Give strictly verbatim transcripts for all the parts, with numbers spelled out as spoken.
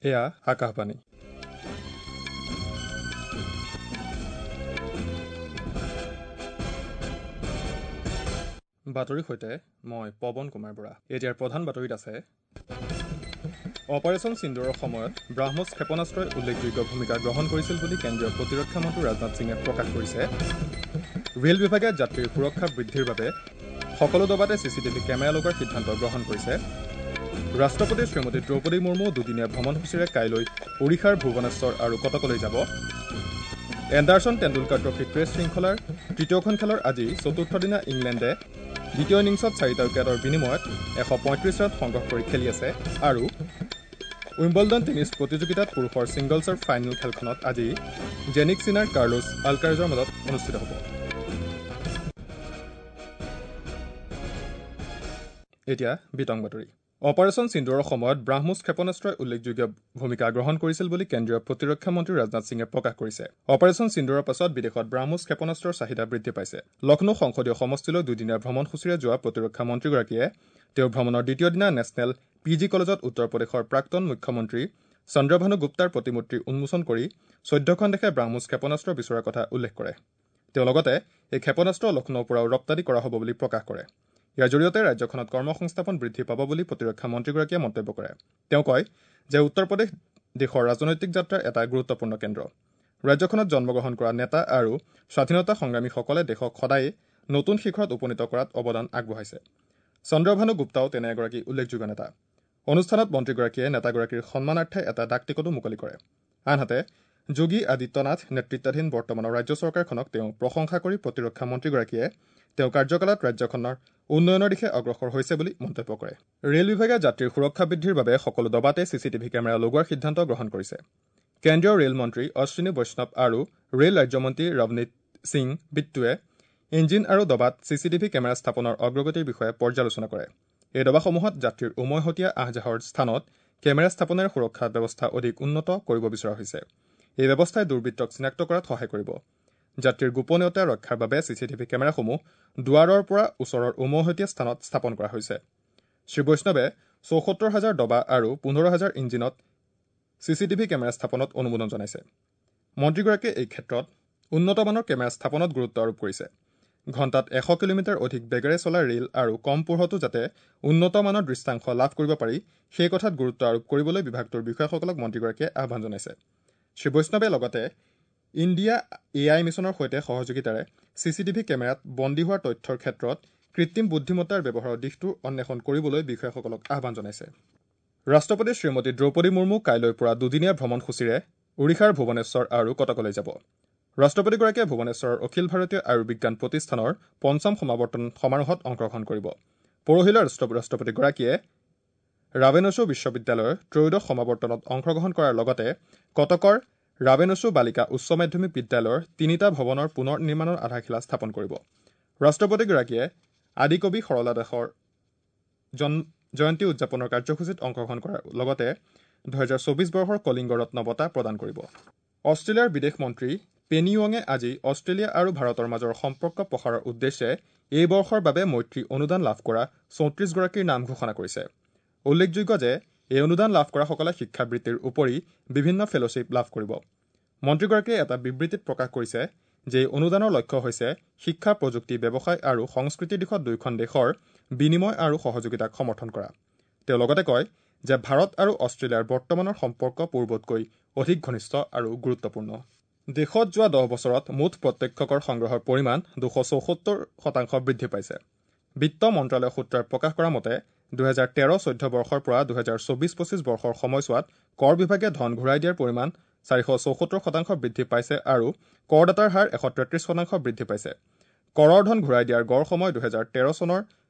এয়া আকাশবাণী। বাতৰিৰ সৈতে মই পৱন কুমাৰ বৰা। এতিয়াৰ প্ৰধান বাতৰিত আছে অপাৰেচন সিন্দুৰৰ সময়ত ব্ৰাহ্মছ ক্ষেপণাস্ত্ৰই উল্লেখযোগ্য ভূমিকা গ্ৰহণ কৰিছিল বুলি কেন্দ্ৰীয় প্ৰতিৰক্ষা মন্ত্ৰী ৰাজনাথ সিঙে প্ৰকাশ কৰিছে। ৰেল বিভাগে যাত্ৰীৰ সুৰক্ষা বৃদ্ধিৰ বাবে সকলো ডবাতে চি চি টিভি কেমেৰা লগোৱাৰ সিদ্ধান্ত গ্ৰহণ কৰিছে। ৰাষ্ট্ৰপতি শ্ৰীমতী দ্ৰৌপদী মুৰ্মু দুদিনীয়া ভ্ৰমণসূচীৰে কাইলৈ ওড়িশাৰ ভুৱনেশ্বৰ আৰু কটকলৈ যাব। এণ্ডাৰছন টেণ্ডুলকাৰ ট্ৰফী টেষ্ট শৃংখলাৰ তৃতীয়খন খেলৰ আজি চতুৰ্থ দিনা ইংলেণ্ডে দ্বিতীয় ইনিংছত চাৰিটা উইকেটৰ বিনিময়ত এশ পঁয়ত্ৰিছ ৰান সংগ্ৰহ কৰি খেলি আছে। আৰু উইম্বলডন টেনিছ প্ৰতিযোগিতাত পুৰুষৰ ছিংগলছৰ ফাইনেল খেলখনত আজি জেনিক চিনাৰ কাৰ্লোছ আলকাৰেজৰ মাজত অনুষ্ঠিত হ'ব। এতিয়া বিতং বাতৰি। অপাৰেচন সিন্দুৰৰ সময়ত ব্ৰাহ্মছ ক্ষেপণাস্ত্ৰই উল্লেখযোগ্য ভূমিকা গ্ৰহণ কৰিছিল বুলি কেন্দ্ৰীয় প্ৰতিৰক্ষা মন্ত্ৰী ৰাজনাথ সিঙে প্ৰকাশ কৰিছে। অপাৰেচন সিন্দুৰৰ পাছত বিদেশত ব্ৰাহ্মছ ক্ষেপণাস্ত্ৰৰ চাহিদা বৃদ্ধি পাইছে। লক্ষ্ণৌ সংসদীয় সমষ্টিলৈ দুদিনীয়া ভ্ৰমণসূচীৰে যোৱা প্ৰতিৰক্ষা মন্ত্ৰীগৰাকীয়ে তেওঁৰ ভ্ৰমণৰ দ্বিতীয় দিনা নেশ্যনেল পি জি কলেজত উত্তৰ প্ৰদেশৰ প্ৰাক্তন মুখ্যমন্ত্ৰী চন্দ্ৰভানু গুপ্তাৰ প্ৰতিমূৰ্তি উন্মোচন কৰি চৈধ্যখন দেশে ব্ৰাহ্মছ ক্ষেপণাস্ত্ৰ বিচৰাৰ কথা উল্লেখ কৰে। তেওঁ লগতে এই ক্ষেপণাস্ত্ৰ লক্ষ্ণৌৰ পৰাও ৰপ্তানি কৰা হ'ব বুলি প্ৰকাশ কৰে। ইয়াৰ জৰিয়তে ৰাজ্যখনত কৰ্মসংস্থাপন বৃদ্ধি পাব বুলি প্ৰতিৰক্ষা মন্ত্ৰীগৰাকীয়ে মন্তব্য কৰে। তেওঁ কয় যে উত্তৰ প্ৰদেশ দেশৰ ৰাজনৈতিক যাত্ৰাৰ এটা গুৰুত্বপূৰ্ণ কেন্দ্ৰ। ৰাজ্যখনত জন্মগ্ৰহণ কৰা নেতা আৰু স্বাধীনতা সংগ্ৰামীসকলে দেশক সদায়ে নতুন শিখৰত উপনীত কৰাত অৱদান আগবঢ়াইছে। চন্দ্ৰভানু গুপ্তাও তেনে এগৰাকী উল্লেখযোগ্য নেতা। অনুষ্ঠানত মন্ত্ৰীগৰাকীয়ে নেতাগৰাকীৰ সন্মানাৰ্থে এটা ডাক টিকটো মুকলি কৰে। আনহাতে যোগী আদিত্যনাথ নেতৃত্বাধীন বৰ্তমানৰ ৰাজ্য চৰকাৰখনক তেওঁ প্ৰশংসা কৰি প্ৰতিৰক্ষা মন্ত্ৰীগৰাকীয়ে তেওঁ কাৰ্যকালত ৰাজ্যখনৰ উন্নয়নৰ দিশে অগ্ৰসৰ হৈছে বুলি মন্তব্য কৰে। ৰেল বিভাগে যাত্ৰীৰ সুৰক্ষা বৃদ্ধিৰ বাবে সকলো ডবাতে চি চি টিভি কেমেৰা লগোৱাৰ সিদ্ধান্ত গ্ৰহণ কৰিছে। কেন্দ্ৰীয় ৰেল মন্ত্ৰী অশ্বিনী বৈষ্ণৱ আৰু ৰেল ৰাজ্যমন্ত্ৰী ৰৱনীত সিং বিট্টুৱে ইঞ্জিন আৰু ডবাত চি চি টিভি কেমেৰা স্থাপনৰ অগ্ৰগতিৰ বিষয়ে পৰ্যালোচনা কৰে। এই ডবাসমূহত যাত্ৰীৰ উমৈহতীয়া আহ যাহৰ স্থানত কেমেৰা স্থাপনেৰে সুৰক্ষা ব্যৱস্থা অধিক উন্নত কৰিব বিচৰা হৈছে। এই ব্যৱস্থাই দুৰ্বৃত্তক চিনাক্ত কৰাত সহায় কৰিব। যাত্ৰীৰ গোপনীয়তা ৰক্ষাৰ বাবে চি চি টিভি কেমেৰাসমূহ দুৱাৰৰ পৰা ওচৰৰ উমৈহতীয়া স্থানত স্থাপন কৰা হৈছে। শ্ৰী বৈষ্ণৱে চৌসত্তৰ হাজাৰ ডবা আৰু পোন্ধৰ হাজাৰ ইঞ্জিনত চি চি টিভি কেমেৰা স্থাপনত অনুমোদন জনাইছে। মন্ত্ৰীগৰাকীয়ে এই ক্ষেত্ৰত উন্নত মানৰ কেমেৰা স্থাপনত গুৰুত্ব আৰোপ কৰিছে। ঘণ্টাত এশ কিলোমিটাৰ অধিক বেগেৰে চলা ৰেল আৰু কম পোহৰতো যাতে উন্নত মানৰ দৃশ্যাংশ লাভ কৰিব পাৰি সেই কথাত গুৰুত্ব আৰোপ কৰিবলৈ বিভাগটোৰ বিষয়াসকলক মন্ত্ৰীগৰাকীয়ে আহ্বান জনাইছে। শ্ৰী বৈষ্ণৱে লগতে ইণ্ডিয়া এ I মিছনৰ সৈতে সহযোগিতাৰে চি চি টিভি কেমেৰাত বন্দী হোৱাৰ তথ্যৰ ক্ষেত্ৰত কৃত্ৰিম বুদ্ধিমত্তাৰ ব্যৱহাৰৰ দিশটো অন্বেষণ কৰিবলৈ বিষয়াসকলক আহ্বান জনাইছে। ৰাষ্ট্ৰপতি শ্ৰীমতী দ্ৰৌপদী মুৰ্মু কাইলৈৰ পৰা দুদিনীয়া ভ্ৰমণসূচীৰে ওড়িশাৰ ভুৱনেশ্বৰ আৰু কটকলৈ যাব। ৰাষ্ট্ৰপতিগৰাকীয়ে ভুৱনেশ্বৰৰ অখিল ভাৰতীয় আয়ুৰ্বিজ্ঞান প্ৰতিষ্ঠানৰ পঞ্চম সমাৱৰ্তন সমাৰোহত অংশগ্ৰহণ কৰিব। পৰহিলৈ ৰাষ্ট্ৰপতিগৰাকীয়ে ৰাভেনচু বিশ্ববিদ্যালয়ৰ ত্ৰয়োদশ সমাৱৰ্তনত অংশগ্ৰহণ কৰাৰ লগতে কটকৰ ৰাভেনচু বালিকা উচ্চ মাধ্যমিক বিদ্যালয়ৰ তিনিটা ভৱনৰ পুনৰ নিৰ্মাণৰ আধাৰশিলা স্থাপন কৰিব। ৰাষ্ট্ৰপতিগৰাকীয়ে আদিকবি সৰলা দাসৰ জয়ন্তী উদযাপনৰ কাৰ্যসূচীত অংশগ্ৰহণ কৰাৰ লগতে দুহেজাৰ চৌবিছ বৰ্ষৰ কলিংগ ৰত্ন বঁটা প্ৰদান কৰিব। অষ্ট্ৰেলিয়াৰ বিদেশ মন্ত্ৰী পেনি ৱঙে আজি অষ্ট্ৰেলিয়া আৰু ভাৰতৰ মাজৰ সম্পৰ্ক প্ৰসাৰৰ উদ্দেশ্যে এই বৰ্ষৰ বাবে মৈত্ৰী অনুদান লাভ কৰা চৌত্ৰিছগৰাকীৰ নাম ঘোষণা কৰিছে। উল্লেখযোগ্য যে এই অনুদান লাভ কৰাসকলে শিক্ষাবৃত্তিৰ উপৰি বিভিন্ন ফেল'শ্বিপ লাভ কৰিব। মন্ত্ৰীগৰাকীয়ে এটা বিবৃতিত প্ৰকাশ কৰিছে যে এই অনুদানৰ লক্ষ্য হৈছে শিক্ষা, প্ৰযুক্তি, ব্যৱসায় আৰু সংস্কৃতিৰ দিশত দুয়োখন দেশৰ বিনিময় আৰু সহযোগিতাক সমৰ্থন কৰা। তেওঁ লগতে কয় যে ভাৰত আৰু অষ্ট্ৰেলিয়াৰ বৰ্তমানৰ সম্পৰ্ক পূৰ্বতকৈ অধিক ঘনিষ্ঠ আৰু গুৰুত্বপূৰ্ণ। দেশত যোৱা দহ বছৰত মুঠ প্ৰত্যক্ষ কৰ সংগ্ৰহৰ পৰিমাণ দুশ চৌসত্তৰ শতাংশ বৃদ্ধি পাইছে। বিত্ত মন্ত্ৰালয়ৰ সূত্ৰই প্ৰকাশ কৰা মতে দুহেজাৰ তেৰ চৈধ্য বৰ্ষৰ পৰা দুহেজাৰ চৌবিছ পঁচিছ বৰ্ষৰ সময়ছোৱাত কৰ বিভাগে ধন ঘূৰাই দিয়াৰ পৰিমাণ চাৰিশ চৌসত্তৰ শতাংশ বৃদ্ধি পাইছে আৰু কৰদাতাৰ হাৰ এশ তেত্ৰিছ শতাংশ বৃদ্ধি পাইছে। কৰৰ ধন ঘূৰাই দিয়াৰ গড় সময় দুহেজাৰ তেৰ চনৰ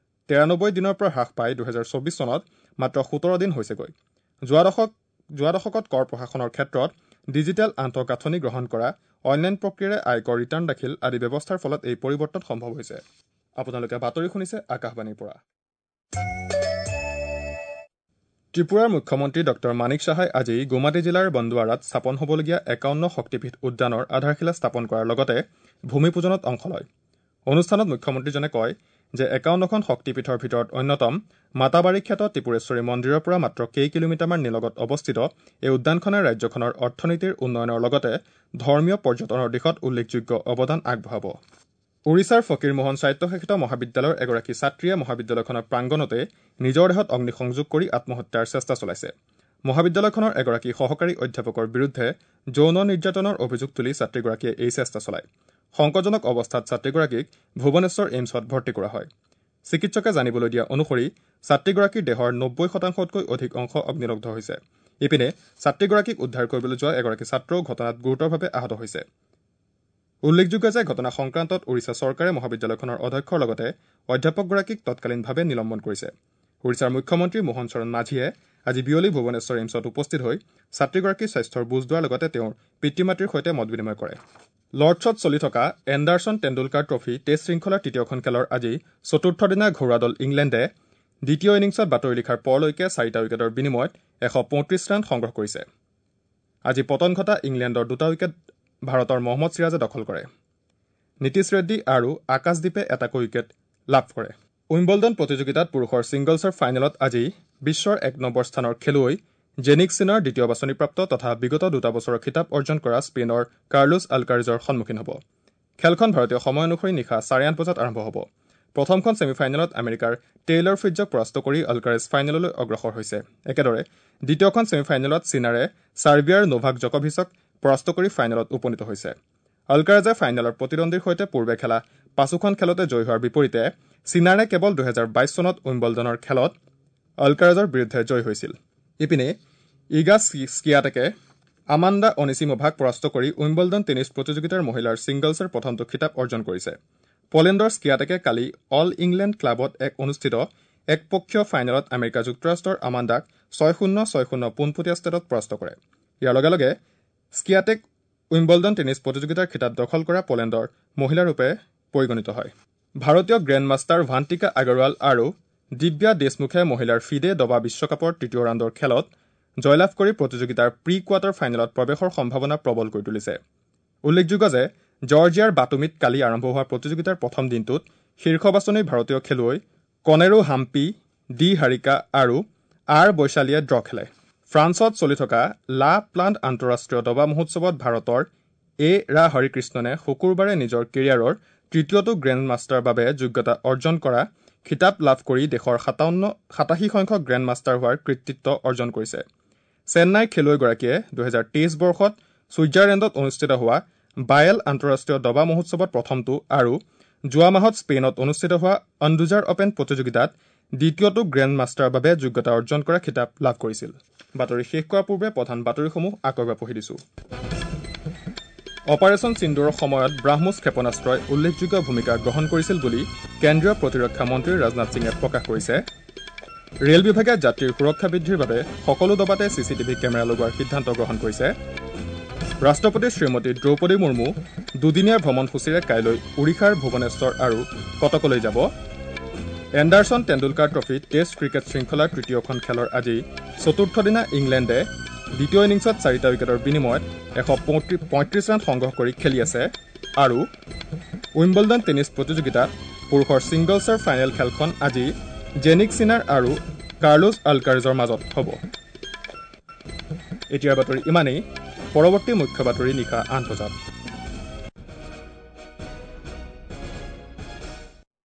তেৰানব্বৈ দিনৰ পৰা হ্ৰাস পাই দুহেজাৰ চৌবিছ চনত মাত্ৰ সোতৰ দিন হৈছেগৈ। যোৱা দশক যোৱা দশকত কৰ প্ৰশাসনৰ ক্ষেত্ৰত ডিজিটেল আন্তঃগাঁথনি গ্ৰহণ কৰা, অনলাইন প্ৰক্ৰিয়াৰে আয়কৰ ৰিটাৰ্ণ দাখিল আদি ব্যৱস্থাৰ ফলত এই পৰিৱৰ্তন সম্ভৱ হৈছে। আপোনালোকে বাতৰি শুনিছে আকাশবাণীৰ পৰা। ত্ৰিপুৰাৰ মুখ্যমন্ত্ৰী ডক্টৰ মানিক সাহাই আজি গুৱাহাটী জিলাৰ বন্দুৱাৰাত স্থাপন হ'বলগীয়া একাৱন্ন শক্তিপীঠ উদ্যানৰ আধাৰশিলা স্থাপন কৰাৰ লগতে ভূমি পূজনত অংশ লয়। অনুষ্ঠানত মুখ্যমন্ত্ৰীজনে কয় যে একাৱন্নখন শক্তিপীঠৰ ভিতৰত অন্যতম মাতাবাৰী খ্যাত ত্ৰিপুৰেশ্বৰী মন্দিৰৰ পৰা মাত্ৰ কেই কিলোমিটাৰমান নিলগত অৱস্থিত এই উদ্যানখনে ৰাজ্যখনৰ অৰ্থনীতিৰ উন্নয়নৰ লগতে ধৰ্মীয় পৰ্যটনৰ দিশত উল্লেখযোগ্য অৱদান আগবঢ়াব। ওড়িশাৰ ফকীৰমোহন স্বায়ত্তশাসিত মহাবিদ্যালয়ৰ এগৰাকী ছাত্ৰীয়ে মহাবিদ্যালয়খনৰ প্ৰাংগণতে নিজৰ দেহত অগ্নিসংযোগ কৰি আত্মহত্যাৰ চেষ্টা চলাইছে। মহাবিদ্যালয়খনৰ এগৰাকী সহকাৰী অধ্যাপকৰ বিৰুদ্ধে যৌন নিৰ্যাতনৰ অভিযোগ তুলি ছাত্ৰীগৰাকীয়ে এই চেষ্টা চলায়। সংকটজনক অৱস্থাত ছাত্ৰীগৰাকীক ভুৱনেশ্বৰ এইমছত ভৰ্তি কৰা হয়। চিকিৎসকে জানিবলৈ দিয়া অনুসৰি ছাত্ৰীগৰাকীৰ দেহৰ নব্বৈ শতাংশতকৈ অধিক অংশ অগ্নিদগ্ধ হৈছে। ইপিনে ছাত্ৰীগৰাকীক উদ্ধাৰ কৰিবলৈ যোৱা এগৰাকী ছাত্ৰও ঘটনাত গুৰুতৰভাৱে আহত হৈছে। উল্লেখযোগ্য যে ঘটনা সংক্ৰান্তত ওড়িশা চৰকাৰে মহাবিদ্যালয়খনৰ অধ্যক্ষৰ লগতে অধ্যাপকগৰাকীক তৎকালীনভাৱে নিলম্বন কৰিছে। ওড়িশাৰ মুখ্যমন্ত্ৰী মোহন চৰণ মাঝীয়ে আজি বিয়লি ভুৱনেশ্বৰ এইমছত উপস্থিত হৈ ছাত্ৰীগৰাকীৰ স্বাস্থ্যৰ বুজ লোৱাৰ লগতে তেওঁৰ পিতৃ মাতৃৰ সৈতে মত বিনিময় কৰে। লৰ্ডছত চলি থকা এণ্ডাৰছন টেণ্ডুলকাৰ ট্ৰফী টেষ্ট শৃংখলাৰ তৃতীয়খন খেলৰ আজি চতুৰ্থ দিনা ঘৰুৱা দল ইংলেণ্ডে দ্বিতীয় ইনিংছত বাতৰি লিখাৰ পৰলৈকে চাৰিটা উইকেটৰ বিনিময়ত এশ পঁয়ত্ৰিছ ৰান সংগ্ৰহ কৰিছে। আজি পতন ঘটা ইংলেণ্ডৰ দুটা উইকেট ভাৰতৰ মহম্মদ চিৰাজে দখল কৰে। নীতিশ ৰেড্ডী আৰু আকাশদ্বীপে এটাকৈ উইকেট লাভ কৰে। উইম্বলডন প্ৰতিযোগিতাত পুৰুষৰ ছিংগলছৰ ফাইনেলত আজি বিশ্বৰ এক নম্বৰ স্থানৰ খেলুৱৈ জেনিক চিনাৰ দ্বিতীয় বাছনিপ্ৰাপ্ত তথা বিগত দুটা বছৰৰ খিতাপ অৰ্জন কৰা স্পেইনৰ কাৰ্লোছ আলকাৰেজৰ সন্মুখীন হ'ব। খেলখন ভাৰতীয় সময় অনুসৰি নিশা চাৰে আঠ বজাত আৰম্ভ হ'ব। প্ৰথমখন ছেমিফাইনেলত আমেৰিকাৰ টেইলৰ ফ্ৰিটজক পৰাস্ত কৰি আলকাৰেজ ফাইনেললৈ অগ্ৰসৰ হৈছে। একেদৰে দ্বিতীয়খন ছেমিফাইনেলত চিনাৰে ছাৰ্বিয়াৰ নোভাক জকভিচক পৰাস্ত কৰি ফাইনেলত উপনীত হৈছে। আলকাৰেজে ফাইনেলৰ প্ৰতিদ্বন্দ্বীৰ সৈতে পূৰ্বে খেলা পাঁচোখন খেলতে জয়ী হোৱাৰ বিপৰীতে চিনাৰে কেৱল দুহেজাৰ বাইছ চনত উইম্বলডনৰ খেলত আলকাৰেজৰ বিৰুদ্ধে জয়ী হৈছিল। ইপিনে ইগা স্কিয়াটেকে আমাণ্ডা অনিচিমোভাক পৰাস্ত কৰি উইম্বলডন টেনিছ প্ৰতিযোগিতাৰ মহিলাৰ ছিংগলছৰ প্ৰথমটো খিতাপ অৰ্জন কৰিছে। পোলেণ্ডৰ স্কিয়াটেকে কালি অল ইংলেণ্ড ক্লাবত এক অনুষ্ঠিত একপক্ষীয় ফাইনেলত আমেৰিকা যুক্তৰাষ্ট্ৰৰ আমাণ্ডাক ছয় শূন্য ছয় শূন্য পোনপটীয়া ষ্টেটত পৰাস্ত কৰে। ইয়াৰ লগে লগে স্কিয়াটেক উইম্বলডন টেনিছ প্ৰতিযোগিতাৰ খিতাপ দখল কৰা পোলেণ্ডৰ মহিলাৰূপে পৰিগণিত হয়। ভাৰতীয় গ্ৰেণ্ড মাষ্টাৰ ভান্তিকা আগৰৱাল আৰু দিব্যা দেশমুখে মহিলাৰ ফিডে দবা বিশ্বকাপৰ তৃতীয় ৰাউণ্ডৰ খেলত জয়লাভ কৰি প্ৰতিযোগিতাৰ প্ৰি কোৱাৰ্টাৰ ফাইনেলত প্ৰৱেশৰ সম্ভাৱনা প্ৰবল কৰি তুলিছে। উল্লেখযোগ্য যে জৰ্জিয়াৰ বাটুমিত কালি আৰম্ভ হোৱা প্ৰতিযোগিতাৰ প্ৰথম দিনটোত শীৰ্ষ বাছনিৰ ভাৰতীয় খেলুৱৈ কনেৰো হাম্পি, ডি হাৰিকা আৰু আৰ বৈশালীয়ে ড্ৰ খেলে। ফ্ৰান্সত চলি থকা লা প্লাণ্ট আন্তঃৰাষ্ট্ৰীয় দবা মহোৎসৱত ভাৰতৰ এ ৰা হৰিকৃষ্ণনে শুকুৰবাৰে নিজৰ কেৰিয়াৰৰ তৃতীয়টো গ্ৰেণ্ড মাষ্টাৰৰ বাবে যোগ্যতা অৰ্জন কৰা খিতাপ লাভ কৰি দেশৰ সাতাৱন্ন সাতাশী সংখ্যক গ্ৰেণ্ড মাষ্টাৰ হোৱাৰ কৃতিত্ব অৰ্জন কৰিছে। চেন্নাইৰ খেলুৱৈগৰাকীয়ে দুহেজাৰ তেইছ বৰ্ষত ছুইজাৰলেণ্ডত অনুষ্ঠিত হোৱা বায়েল আন্তঃৰাষ্ট্ৰীয় দবা মহোৎসৱত প্ৰথমটো আৰু যোৱা মাহত স্পেইনত অনুষ্ঠিত হোৱা আণ্ডুজাৰ অপেন প্ৰতিযোগিতাত দ্বিতীয়টো গ্ৰেণ্ড মাষ্টাৰৰ বাবে যোগ্যতা অৰ্জন কৰা খিতাপ লাভ কৰিছিল। বাতৰি শেষ কৰাৰ পূৰ্বে প্ৰধান বাতৰিসমূহ আকৌ এবাৰ পঢ়ি দিছোঁ। অপাৰেচন সিন্দুৰৰ সময়ত ব্ৰাহ্মোছ ক্ষেপণাস্ত্ৰই উল্লেখযোগ্য ভূমিকা গ্ৰহণ কৰিছিল বুলি কেন্দ্ৰীয় প্ৰতিৰক্ষা মন্ত্ৰী ৰাজনাথ সিঙে প্ৰকাশ কৰিছে। ৰেল বিভাগে যাত্ৰীৰ সুৰক্ষা বৃদ্ধিৰ বাবে সকলো ডবাতে চি চি টিভি কেমেৰা লগোৱাৰ সিদ্ধান্ত গ্ৰহণ কৰিছে। ৰাষ্ট্ৰপতি শ্ৰীমতী দ্ৰৌপদী মুৰ্মু দুদিনীয়া ভ্ৰমণসূচীৰে কাইলৈ ওড়িশাৰ ভুৱনেশ্বৰ আৰু কটকলৈ যাব। Anderson Tendulkar trophy test cricket শৃংখলাৰ তৃতীয়খন খেলৰ আজি চতুৰ্থ দিনা ইংলেণ্ডে দ্বিতীয় ইনিংছত চাৰিটা উইকেটৰ বিনিময়ত এশ পঁয়ত্ৰিছ ৰান সংগ্ৰহ কৰি খেলি আছে। আৰু উইম্বলডন টেনিছ প্ৰতিযোগিতাত পুৰুষৰ ছিংগলছৰ ফাইনেল খেলখন আজি জেনিক চিনাৰ আৰু কাৰ্লোছ আলকাৰেজৰ মাজত হ'ব। এতিয়াৰ বাতৰি ইমানেই। পৰৱৰ্তী মুখ্য বাতৰি নিশা আঠ বজাত।